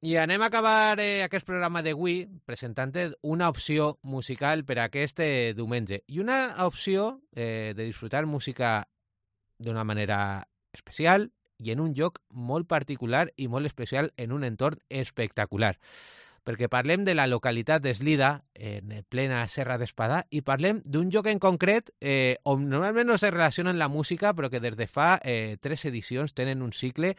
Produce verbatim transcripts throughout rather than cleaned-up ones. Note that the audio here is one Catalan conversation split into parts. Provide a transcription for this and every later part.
I anem a acabar eh, aquest programa d'avui presentant una opció musical per a aquest eh, diumenge. I una opció eh, de disfrutar música d'una manera especial i en un lloc molt particular i molt especial en un entorn espectacular. Perquè parlem de la localitat d'Eslida, en plena Serra d'Espadà, i parlem d'un lloc en concret eh, on normalment no se relaciona amb la música, però que des de fa eh, tres edicions tenen un cicle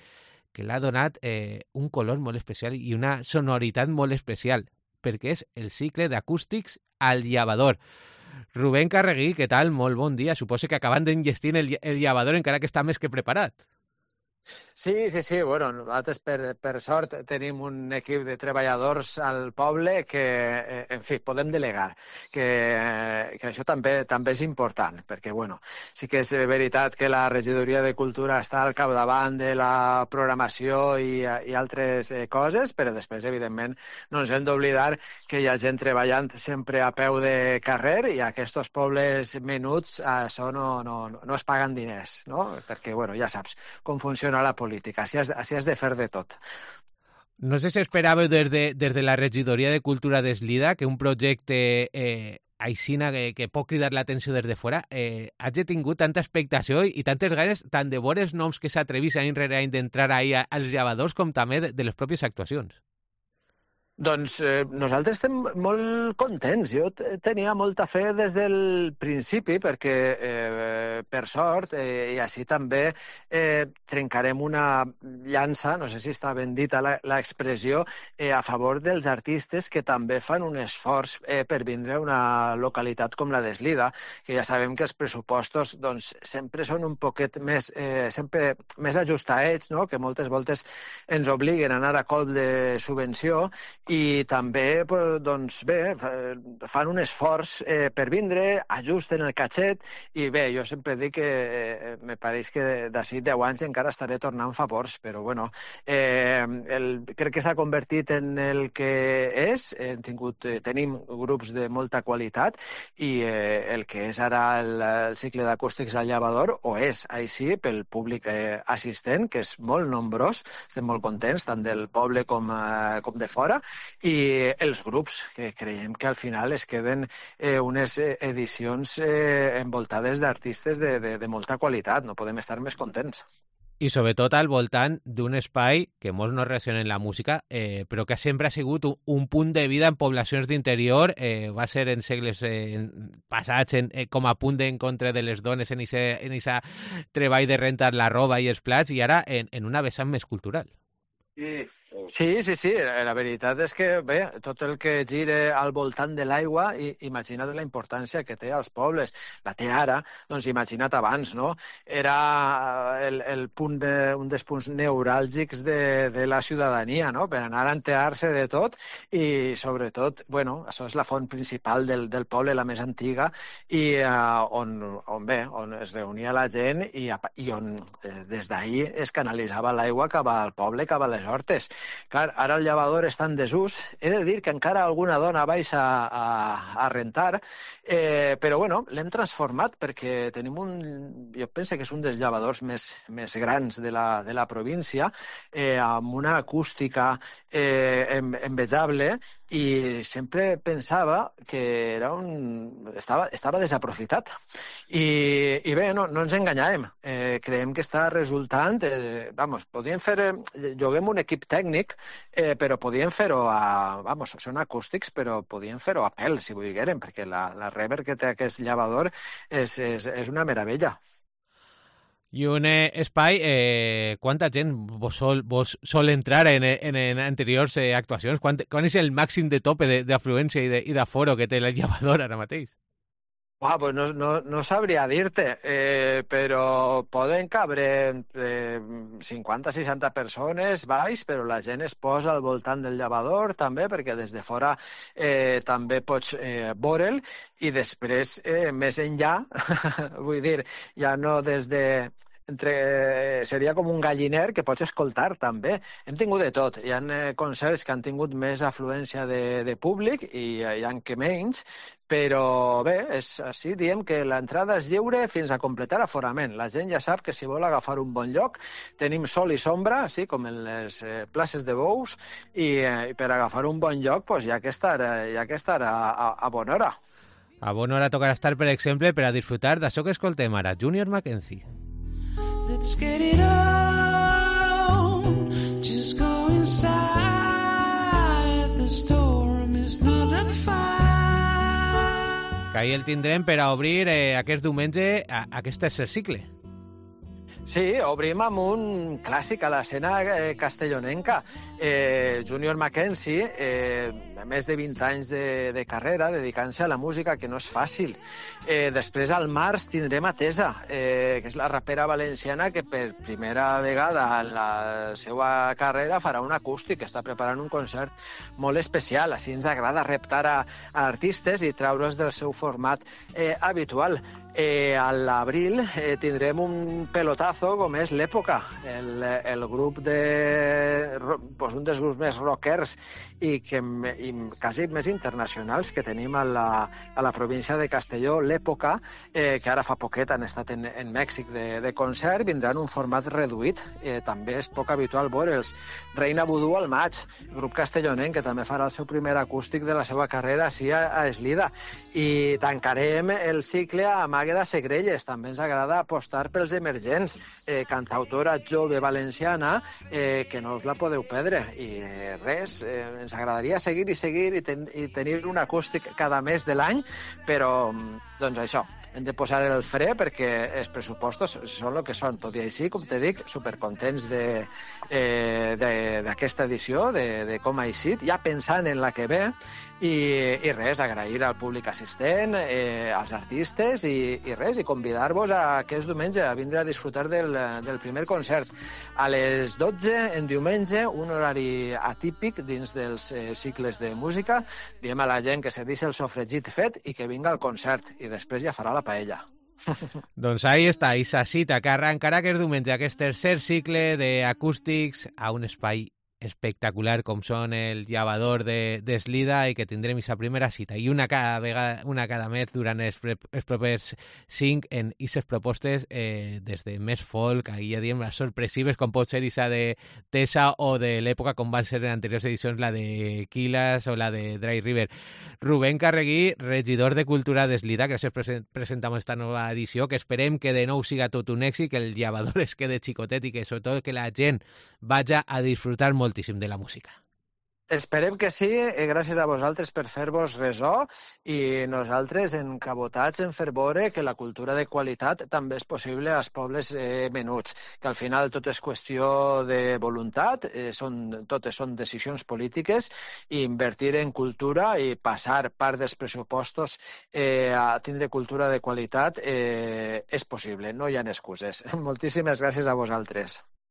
que l'ha donat eh, un color molt especial i una sonoritat molt especial, perquè és el cicle d'acústics al Llavador. Rubén Carreguí, què tal? Molt bon dia. Suposo que acabant d'enllestir el, el Llavador encara que està més que preparat. Sí, sí, sí. Bueno, nosaltres, per, per sort, tenim un equip de treballadors al poble que, en fi, podem delegar, que, que això també també és important, perquè, bueno, sí que és veritat que la regidoria de Cultura està al capdavant de la programació i, i altres eh, coses, però després, evidentment, no ens hem d'oblidar que hi ha gent treballant sempre a peu de carrer i aquests pobles menuts, això no, no, no es paguen diners, no? Perquè, bueno, ja saps com funciona la política, així has, així has de fer de tot. No sé si esperàveu des de, des de la regidoria de Cultura d'Eslida que un projecte eh, aixina que, que pot cridar l'atenció des de fora eh, hagi tingut tanta expectació i tantes ganes tant de veure noms que s'atrevís any rere any d'entrar ahí als Llavadors com també de, de les pròpies actuacions. Doncs eh, nosaltres estem molt contents. Jo tenia molta fe des del principi perquè, eh, per sort, eh, i així també eh, trencarem una llança, no sé si està ben dita l'expressió, eh, a favor dels artistes que també fan un esforç eh, per vindre a una localitat com la d'Eslida, que ja sabem que els pressupostos doncs, sempre són un poquet més, eh, sempre més ajustadets, no? Que moltes voltes ens obliguen a anar a cop de subvenció i també, doncs bé, fan un esforç eh, per vindre, ajusten el catxet i bé, jo sempre dic que eh, me pareix que d'ací deu anys encara estaré tornant favors, però bueno, eh, el, crec que s'ha convertit en el que és, hem tingut, eh, tenim grups de molta qualitat i eh, el que és ara el, el cicle d'acústics al Llavador ho és així pel públic eh, assistent, que és molt nombrós, estem molt contents, tant del poble com, eh, com de fora, i els grups, que creiem que al final es queden eh, unes edicions eh, envoltades d'artistes de, de, de molta qualitat. No podem estar més contents. I sobretot al voltant d'un espai que molts no relacionen la música, eh, però que sempre ha sigut un, un punt de vida en poblacions d'interior, eh, va ser en segles eh, passats en, eh, com a punt d'encontre de les dones en aquest treball de rentar la roba i els plats, i ara en, en una vessant més cultural. Sí, sí, sí, sí. La veritat és que, bé, tot el que gire al voltant de l'aigua, imagina't la importància que té als pobles. La té ara, doncs imagina't abans, no? Era el, el punt de, un dels punts neuràlgics de, de la ciutadania, no? Per anar a enterar-se de tot i, sobretot, bueno, això és la font principal del, del poble, la més antiga, i uh, on, on, bé, on es reunia la gent i, i on eh, des d'ahir es canalitzava l'aigua cap al poble, cap a les hortes. Clar, ara el Llavador està en desús. He de dir que encara alguna dona baixa a, a rentar, eh, però bueno, l'hem transformat perquè tenim un... Jo penso que és un dels llavadors més, més grans de la, de la província, eh, amb una acústica eh, envejable, i sempre pensava que era un... estava, estava desaprofitat. I, i bé, no, no ens enganyàvem. Eh, creiem que està resultant... Eh, vamos, podíem fer... Eh, juguem un equip tècnic, eh, però podien fer-ho a... Vamos, són acústics, però podien fer-ho a pèl, si volgueren, perquè la, la reverb que té aquest Llavador és, és, és una meravella. I un eh, espai, eh, quanta gent vos sol, vos sol entrar en, en, en anteriors eh, actuacions? Quant, quan és el màxim de tope d'afluència i, de, i d'aforo que té el Llavador ara mateix? Ah, pues no, no, no sabria dir-te, eh, però poden cabre entre cinquanta a seixanta persones baix, però la gent es posa al voltant del Llavador també, perquè des de fora eh, també pots eh, veure'l, i després, eh, més enllà, vull dir, ja no des de entre, seria com un galliner que pots escoltar també. Hem tingut de tot. Hi ha eh, concerts que han tingut més afluència de, de públic i hi ha que menys, però bé, és així, diem que l'entrada és lliure fins a completar aforament. La gent ja sap que si vol agafar un bon lloc, tenim sol i sombra, així com en les eh, places de bous, i eh, per agafar un bon lloc pues, hi ha que estar, hi ha que estar a, a, a bona hora. A bona hora tocarà estar, per exemple, per a disfrutar d'això que escoltem ara, Junior Mackenzie. Let's get it on, just go inside, the storm is not that far. Que ahir el tindrem per a obrir eh, aquest diumenge a, a aquest tercer cicle. Sí, obrim amb un clàssic a l'escena eh, castellonenca. Eh, Junior Mackenzie, eh, més de vint anys de, de carrera, dedicant-se a la música, que no és fàcil. Eh, després, al març, tindrem a Tesa, eh, que és la rapera valenciana que per primera vegada en la seva carrera farà un acústic, està preparant un concert molt especial. Així ens agrada reptar a, a artistes i treure's del seu format eh, habitual. Eh, a l'abril eh, tindrem un pelotazo com és l'Època, el, el grup de... Pues un dels grups més rockers i, que, i quasi més internacionals que tenim a la, a la província de Castelló, l'Època, eh, que ara fa poquet han estat en, en Mèxic de, de concert, vindran un format reduït. Eh, també és poc habitual veure'ls. Reina Vudú al maig, grup castellonenc que també farà el seu primer acústic de la seva carrera així a, a Eslida. I tancarem el cicle amb Àgueda Segrelles, també ens agrada apostar pels emergents, eh, cantautora jove valenciana, eh, que no us la podeu perdre. I eh, res, eh, ens agradaria seguir i seguir i, ten i tenir un acústic cada mes de l'any, però doncs això, hem de posar el fre perquè els pressupostos són el que són. Tot i així, com te dic, supercontents d'aquesta eh, de, edició, de, de com ha eixit, ja pensant en la que ve, i, i res, agrair al públic assistent, eh, als artistes, i, i res, i convidar-vos a aquest diumenge a vindre a disfrutar del, del primer concert. A les dotze, en diumenge, un horari atípic dins dels eh, cicles de música. Diem a la gent que se deixi el sofregit fet i que vinga al concert, i després ja farà la paella. Doncs ahí està, i sa cita que arrencarà aquest diumenge, aquest tercer cicle d'acústics a un espai espectacular com són el Llavador d'Eslida, i que tindrem aquesta primera cita i una cada vegada, una cada mes durant els, pre, els propers cinc en aquestes propostes, eh, des de més folk, ahir ja diem les sorpresives com pot ser aquesta de Tesa, o de l'època com van ser en anteriors edicions la de Quilas o la de Dry River. Rubén Carreguí, regidor de Cultura d'Eslida, gràcies per presentar esta nova edició, que esperem que de nou siga tot un èxit, que el Llavador es quede xicotet i que sobretot que la gent vaja a disfrutar moltíssim de la música. Esperem que sí, eh, gràcies a vosaltres per fer-vos ressò, i nosaltres encabotats en fer veure que la cultura de qualitat també és possible als pobles eh, menuts, que al final tot és qüestió de voluntat, eh, són, totes són decisions polítiques, i invertir en cultura i passar part dels pressupostos eh, a tindre cultura de qualitat eh, és possible, no hi ha excuses. Moltíssimes gràcies a vosaltres.